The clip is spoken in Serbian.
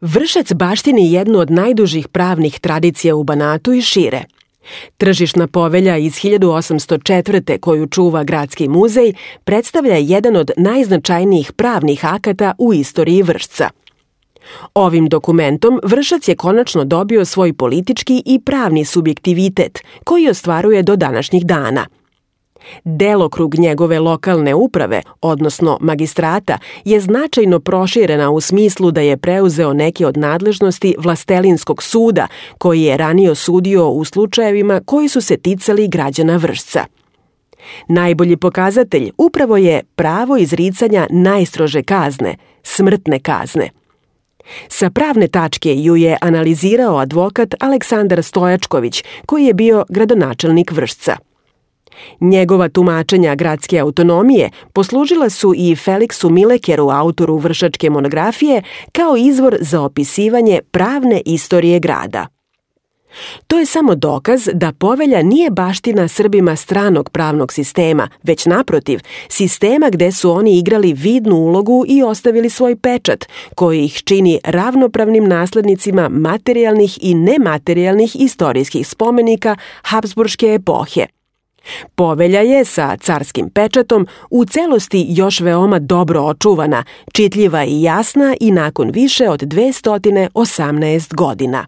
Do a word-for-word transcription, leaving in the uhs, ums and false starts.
Vršac baštini jednu od najdužih pravnih tradicija u Banatu i šire. Tržišna povelja iz hiljadu osamsto četvrte koju čuva Gradski muzej predstavlja jedan od najznačajnijih pravnih akata u istoriji Vršca. Ovim dokumentom Vršac je konačno dobio svoj politički i pravni subjektivitet koji ostvaruje do današnjih dana. Delokrug njegove lokalne uprave, odnosno magistrata, je značajno proširena u smislu da je preuzeo neke od nadležnosti Vlastelinskog suda, koji je ranije sudio u slučajevima koji su se ticali građana Vršca. Najbolji pokazatelj upravo je pravo izricanja najstrože kazne, smrtne kazne. Sa pravne tačke ju je analizirao advokat Aleksandar Stojačković, koji je bio gradonačelnik Vršca. Njegova tumačenja gradske autonomije poslužila su i Feliksu Milekeru, autoru vršačke monografije, kao izvor za opisivanje pravne istorije grada. To je samo dokaz da povelja nije baština Srbima stranog pravnog sistema, već naprotiv, sistema gde su oni igrali vidnu ulogu i ostavili svoj pečat, koji ih čini ravnopravnim naslednicima materijalnih i nematerijalnih istorijskih spomenika Habsburške epohe. Povelja je sa carskim pečatom u celosti još veoma dobro očuvana, čitljiva i jasna i nakon više od dvesta osamnaest godina.